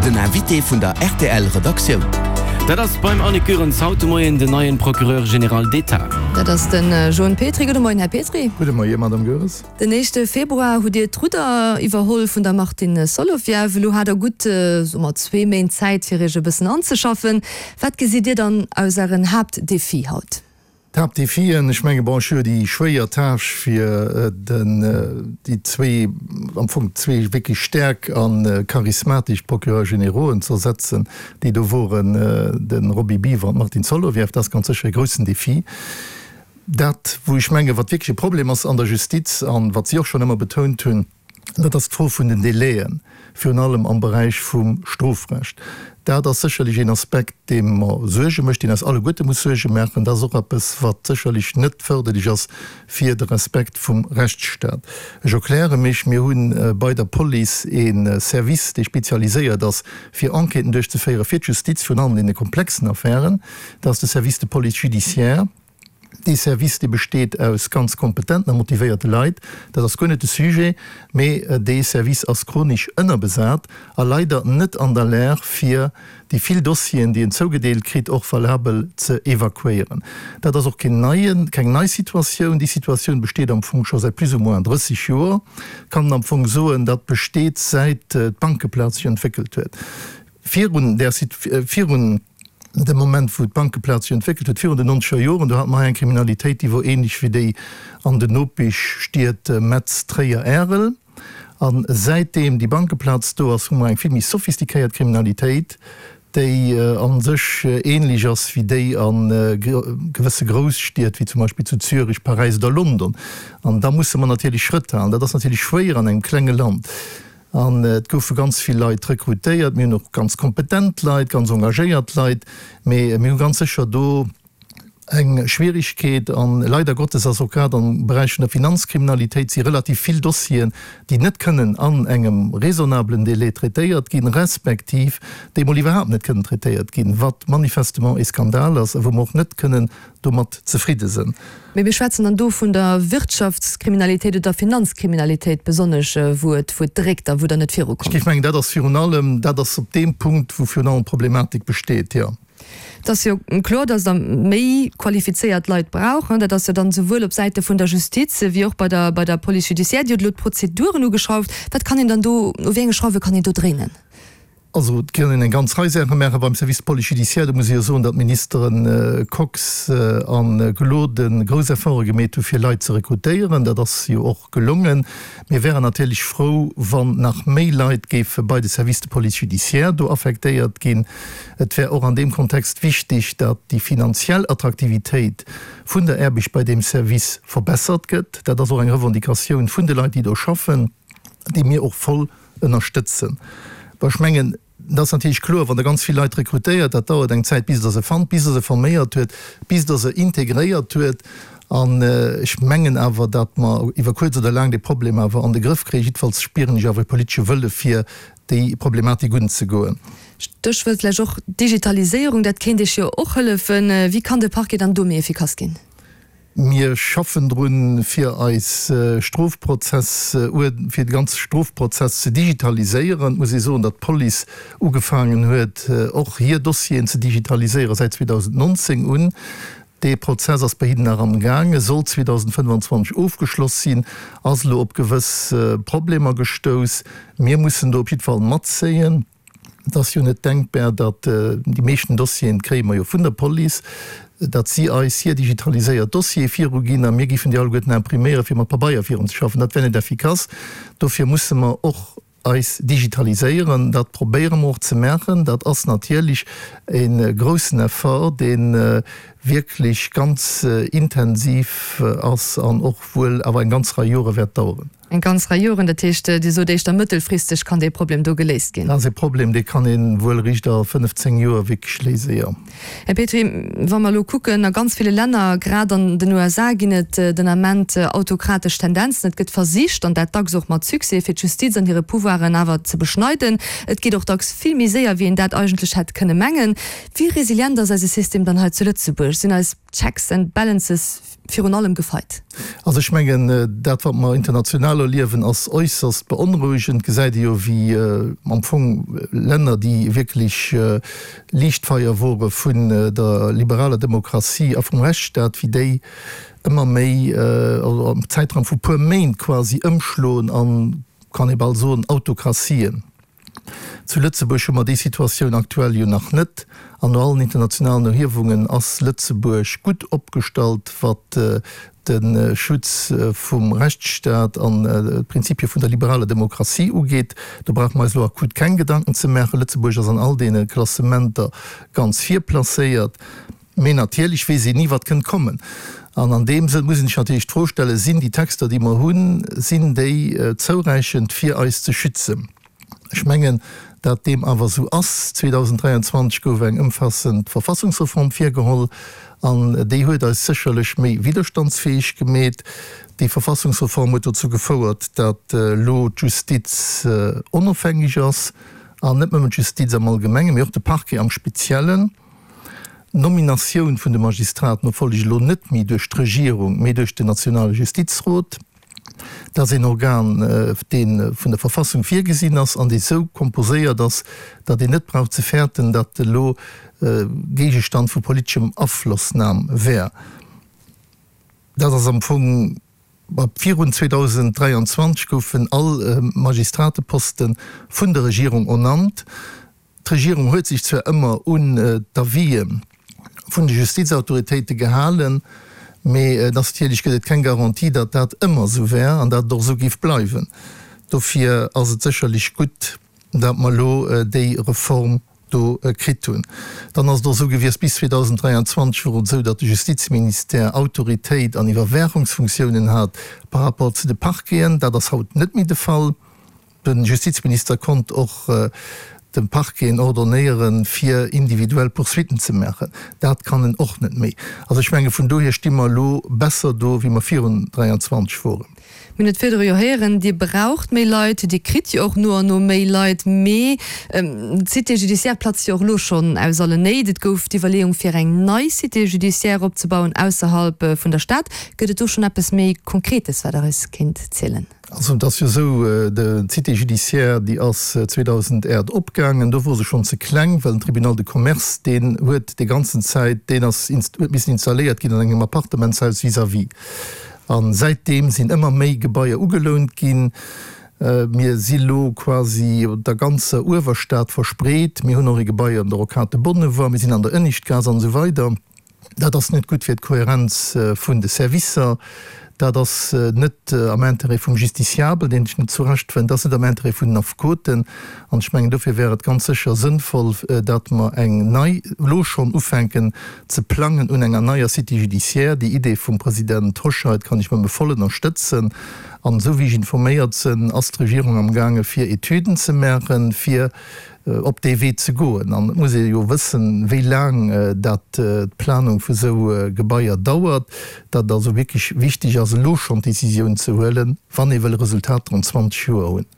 Den Invité vun der rtl Redaktioun. Dat ass beim Annick Goerens haut de Moien den neien Procureur général d'État. Dat ass de Joen Petry. Gudde Moien, Här Petry. Gudde Moie, Madame Goerens. Den éischte Februar hutt Dir d'Rudder iwwerholl vun der Martine Solovieff. Elo hat Der gutt, soe mer, zwee Méint Zäit, fir Iech e bëssen anzeschaffen. Wat gesitt Dir dann aus Ären Haaptdefie haut? D'Haaptdefien, ech menge bon, ech hu jo déi schwéier Tâche fir den, déi zwee, am Fong zwee wierklech staark a charismatesch Procureurs générauxen ze ersetzen, déi do woren, de Roby Biwer an d'Martine Solovieff. Dat ass ganz sécher e groussen Defi. Dat, wou ech menge wat wierklech e Problem ass an der Justiz an wat si och schonn ëmmer betount hunn, Dat ass d'Fro vun den Délaiën, virun allem am Beräich vum Strofrecht. Dat ass sécherlech een Aspekt, dee mer Suerge mécht, deen eis alleguerte muss Suerge maachen. Dat ass och eppes, wat sécherlech net fërderlech ass fir de Respekt vum Rechtsstaat. Ech erkläre mech, Mir hu bei der Police ee Service, dee spezialiséiert ass, fir Enquêten duerchzeféieren fir d'Justiz, virun allem an deene komplexen Affären. Dat ass de Service de police judiciaire. Dee Service, dee besteet aus ganz kompetenten a motivéierte Leit, dat ass guer net de Sujet, mee dee Service ass chronesch ënnerbesat a leider net an der Lag, fir déi vill Dossieren, déi en zougedeelt kritt, och valabel ze evakuéieren. Dat ass och keen neien, keng nei Situatioun. Déi Situatioun besteet am Fong scho säit plus ou moins 30 Joer, kann en am Fong soen. Dat besteet säit d'Bankeplaz sech entwéckelt huet. Virun där, virun dem Moment, wou d'Bankeplaz sech entwéckelt huet, virun den nonzeger Joren, do hate mer hei eng Kriminalitéit, déi wor ähnlech wéi déi an den Nopeschstied Metz, Tréier, Ärel. A säitdeem déi Bankeplaz do ass, hu mer eng vill méi sophistiquéiert Kriminalitéit, déi a sech ähnlech ass wéi déi a gewësse Grousstied, wéi zum Beispill zu Zürich, Paräis oder London. An da musse mer natierlech Schrëtt halen. Dat ass natierlech schwéier an engem klenge Land. An et goufe ganz vill Leit rekrutéiert. Mir hunn och ganz kompetent Leit, ganz engagéiert Leit, mee mir hu ganz sécher do eng Schwierigkeet. A leider Gottes ass och grad am Beräich vun der Finanzkriminalitéit si relativ vill Dossieren, déi net kënnen an engem raisonnablen Délai traitéiert ginn, respektiv déi emol iwwerhaapt net kënnen traitéiert ginn, wat manifestement e Skandal ass a wou mer och net kënnen domat zefridde sënn. Mee mir schwätzen dann do vun der Wirtschaftskriminalitéit oder Finanzkriminalitéit besonnesch, wou et, wou et dréckt a wou Der net virukommt. Ech géif mengen, dat ass virun allem, dat ass op deem Punkt, wou virun allem d'Problematik besteet, jo. Et ass jo kloer, dass Der méi qualifizéiert Leit braucht. Dat ass jo dann esouwuel op Säite vun der Justiz wéi och bei der, bei der Police judiciaire. Dir hutt elo d'Prozeduren ugeschrauft. Wat kann een dann do, u wéi enge Schrauwe kann een do dréinen? Also et kann een eng ganz Rei Saache maachen beim Service de police judiciaire. Do muss ee jo soen, datt d'Ministere Kox a Gloden grouss Efforte gemeet hu fir Leit ze rekrutéieren. Dat ass jo och gelongen. Mir wären natierlech frou, wann nach méi Leit géife bei de Service de police judiciaire do affektéiert ginn. Et wär och an deem Kontext wichtig, datt déi finanziell Attraktivitéit vun der Aarbecht bei deem Service verbessert gëtt. Dat ass och eng Revendicatioun vun de Leit, déi do schaffen, déi mir och voll ënnerstëtzen. Bon, ech mengen, et ass natierlech kloer, wann Der ganz vill Leit rekrutéiert, dat dauert eng Zäit, bis Der se fannt, bis Der se forméiert huet, bis Der se integréiert huet. An ech mengen awer, datt mer iwwer kuerz oder laang dee Problem awer an de Grëff kréien. Jiddefalls spieren ech awer e politesche Wëlle fir déi Problematik unzegoen. Stéchwuert vläicht och Digitaliséierung, dat kéint Iech jo och hëllefen. Wéi kann de Parquet dann do méi efficace ginn? Mir schaffen drun, fir eis Strofprozess, fir de ganze Strofprozess ze digitaliséieren. Et muss ee soen, datt d'Police ugefaangen huet, och hir Dossieren ze digitaliséieren säit 2019 un. Dee Prozess ass bei hinnen nach amgaangen, soll 2025 ofgeschloss sinn, ass elo op gewëss Problemer gestouss. Mir mussen do op jiddwer Fall matzéien. Et ass jo net denkbar, datt, déi meeschten Dossieren kréie mer jo vun der Police, datt si eis hir digitaliséiert Dossiere viruginn a mir géifen déi alleguerten impriméieren, fir mat Pabeier virunzeschaffen. Dat wär net effikass. Dofir musse mer och eis digitaliséieren. Dat probéiere mer och ze maachen. Dat ass natierlech e groussen Effort, dee wierklech ganz intensiv ass an och wuel awer eng ganz Rei Jore wäert daueren. Eng ganz Rei Joren, dat heescht, Dir sot éischter mëttelfristeg kann dee Problem do geléist ginn. Dat ass e Problem, dee kann ee wuel eréischt a 15 Joer wierklech léisen, jo. Här Petry, wa mer elo kucken, a ganz ville Länner, grad an den USA, ginn et den Ament autokratesch Tendenzen. Et gëtt versicht, an dat dacks och mat Succès, fir d'Justiz an hire Pouvoiren awer ze beschneiden. Et geet och dacks vill méi séier, wéi een dat eigentlech hätt kënne mengen. Wéi resilient ass eise System dann hei zu Lëtzebuerg? Sinn eis Checks and Balances. virun allem gefeit? Also ech mengen, dat wat mer international erliewen, ass äusserst beonrouegend. Gesäit ee jo wéi am Fong Länner, déi wierklech Liichtfeier wore vun der liberaler Demokratie a vum Rechtsstaat, wéi déi ëmmer méi, also am Zäitraum vu puer Méint quasi ëmschloen an, kann ee bal soen, Autokratien. Zu Lëtzebuerg hu mer déi Situatioun aktuell jo nach net. An no allen internationalen Erhiewungen ass Lëtzebuerg gutt opgestallt, wat de Schutz vum Rechtsstaat an d'Prinzipie vun der liberaler Demokratie ugeet. Do brauche mer eis elo akut keng Gedanken ze maachen. Lëtzebuerg ass an all deene Klassementer ganz vir placéiert. Mee natierlech weess een ni, wat kënnt kommen. An an deem Sënn muss een sech natierlech d'Fro stellen, Sinn déi Texter, déi mer hunn, sinn déi zouräichend, fir eis ze schützen? Ech mengen, dat deem awer esou ass. 2023 gouf eng ëmfaassend Verfassungsreform virgeholl an déi huet eis sécherlech méi widderstandsfäeg gemeet. Déi Verfassungsreform huet dozou gefouert, dat elo d'Justiz onofhängeg ass, an net nëmmen d'Justiz am Allgemengen, mee och de Parquet am Speziellen. D'Nominatioun vun de Magistraten erfollegt elo net méi duerch d'Regierung, mee duerch den nationale Justizrot. Dat ass een Organ, dee vun der Verfassung virgesinn ass an dee sou komposéiert ass, datt een net brauch ze fäerten, datt elo Géigestand vu politeschem Aflossnam wär. Dat ass am Fong. Virun 2023 goufen all Magistrateposte vun der Regierung ernannt. D'Regierung huet sech zwar ëmmer un d'Avisë vun de Justizautoritéite gehalen, mee et ass natierlech gëtt et keng Garantie, datt dat ëmmer esou wär an datt et och esou géif bleiwen. Dofir ass et sécherlech gutt, datt mer elo déi Reform do kritt hunn. Dann ass et och esou gewiescht, bis 2023 wor et esou, datt de Justizministère Autoritéit an Iwwerwaachungsfunktiounen hat par rapport zu de Parqueten. Dat ass haut net méi de Fall. De Justizminister konnt och de Parqueten ordonnéieren, fir individuell Poursuitten ze maachen. Dat kann en och net méi. Also ech menge vun dohier sti mer elo besser do, wéi mer virun 23 woren. Mir hunn et virdru jo héieren, Dir braucht méi Leit, Dir kritt jo och no an no méi Leit, mee d'Cité judiciaire platzt jo och elo schonn aus allen Néit. Et gouf d'Iwwerleeung, fir eng nei Cité judiciaire opzebauen ausserhalb vun der Stad. Gëtt et do schonn eppes méi Konkretes, wat Der eis kéint zielen? Also et ass jo esou, d'Cité judiciaire, déi ass 2008 opgaangen. Do wor se schonn ze kleng, well den Tribunal de Commerce, deen huet déi ganzen Zäit, deen ass, huet missen installéiert ginn an engem Appartementshaus vis-à-vis. A säitdeem sinn ëmmer méi Gebaier ugelount ginn. Mir si lo quasi op der ganzer Uewerstad verspreet. Mir hunn och e Gebai an der Rocade de Bonnevoie, mir sinn an der Ënnischtgaass an esou weider. Dat ass net gutt fir d'Kohärenz vun de Servicer. Dat ass net am Intérêt vum Justiciabel, deen sech net zurechtfënnt. Dat ass net am Intérêt vun den Affekoten. An ech mengen, dofir wär et ganz sécher sënnvoll, datt mer eng nei, elo schonn ufänken ze plangen un enger neier Cité judiciaire. Déi Idee vum President Hoscheit kann ech nëmme voll ënnerstëtzen. An esou wéi ech informéiert sënn, ass d'Regierung amgaange fir Etüden ze maachen, fir op dee Wee ze goen. An et muss ee jo wëssen, wéi laang dat d'Planung vu sou Gebaier dauert, datt et also wierklech wichteg ass, elo schonn d'Décisioun ze huelen, wann ee wëll Resultater an 20 Joer hunn.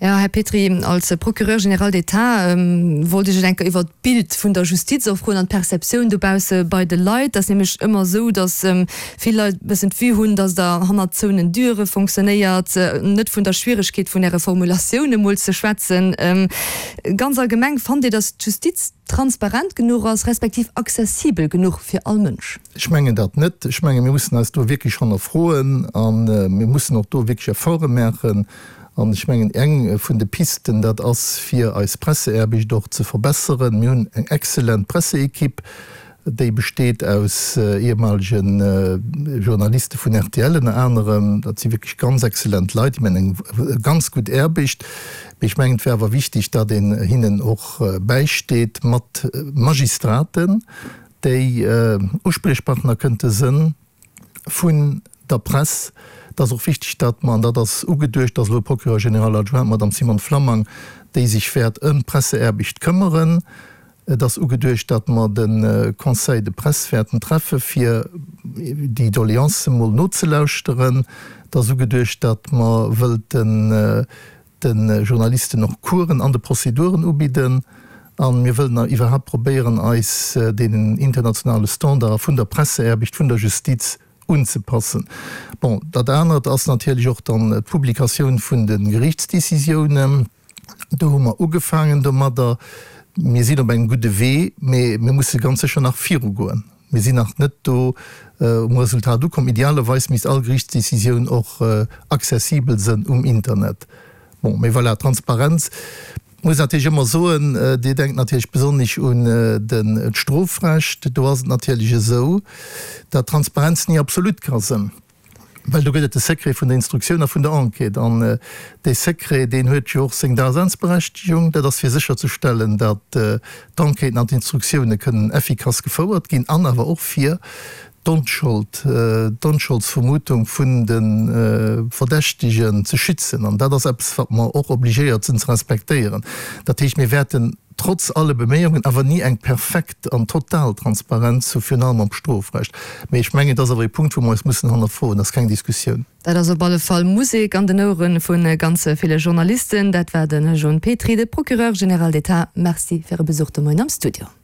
Jo, Här Petry, als Procureur général d'État wollt ech et eng Kéier iwwert d'Bild vun der Justiz och froen an d'Perceptioun dobausse bei de Leit. Et ass nämlech ëmmer esou, datt vill Leit e bëssen d'Vue hunn, datt Der hannert zouenen Düre fonctionnéiert, net vun der Schwieregkeet vun Äre Formulatioun emol ze schwätzen. Ganz allgemeng, fannt Dir, datt d'Justiz transparent genuch ass, respektiv accessibel genuch fir all Mënsch? Ech mengen dat net. Ech menge mir mussen eis do wierklech hannerfroen a mir mussen och do wierklech Efforte maachen. An ech mengen, eng vun de Pisten, dat ass fir eis Presseaarbecht och ze verbesseren. Mir hunn eng exzellent Presseequipe. Déi besteet aus ehemalige Journaliste vun rtl ënner anerem. Dat si wierklech ganz exzellent Leit, déi maachen eng ganz gutt Aarbecht. Mee ech mengen, et wär awer wichteg, datt een hinnen och bäisteet mat Magistraten, déi Uspriechpartner kënnte sënn vun der Press. Et ass och wichteg, datt mer, an dat ass ugeduecht, datt elo Procureur général adjoint, d'Madame Simone Flammang, déi sech wäert ëm d'Presseaarbecht këmmeren, Et ass ugeduecht, datt mer de Conseil de presse wäerten treffe fir déi Doleancen emol nozelauschteren. Et ass ugeduecht, datt mer wëllten de Journalisten och Coursen an de Prozeduren ubidden. A mir wëllen iwwerhaapt probéieren, eis deenen internationale Standarde vun der Presseaarbecht, vun der Justiz. unzepassen. Bon, dat anert ass natierlech och dann d'Publikatioun vun de Geriichtsdécisiounen. Do hu mer ugefaangen domadder. Mir sinn op engem gudde Wee, mee mir musse ganz sécher nach virugoen. Mir sinn nach net do um Resultat ukomm. Idealerweis misst all Geriichtsdecisioun och accessibel sënn um Internet. Bon, mee voilà, Transparenz muss natierlech ëmmer soen, Dir denkt natierlech besonnesch un d'Strofrecht. Do ass et natierlech esou, datt Transparenz ni absolut ka sënn. Well do gëtt et de Secret vun der Instruktioun a vun der Enquête. An dee Secret, deen huet jo och seng Daseinsberechtigung. Dat ass fir sécherzestellen, datt d'Enquêten an d'Instruktioune kënnen effikass gefouert ginn an awer och fir d'Onschold, d'Onscholdsvermutung vun de Verdächtigen ze schützen. An dat ass eppes, wat mer och obligéiert sinn ze respektéieren. Dat heescht, mir wäerten trotz alle Beméiungen awer ni eng perfekt an total Transparenz hu, virun allem am Strofrecht. Mee ech mengen, et ass awer ee Punkt, wou mer eis mussen hannerfroen. Dat ass keng Diskussioun. Dat ass op alle Fall Musek an den Ouere vu ganz ville Journalisten. Dat war de John Petry, de Procureur général d'État. Merci fir e Besuch de Moien am Studio.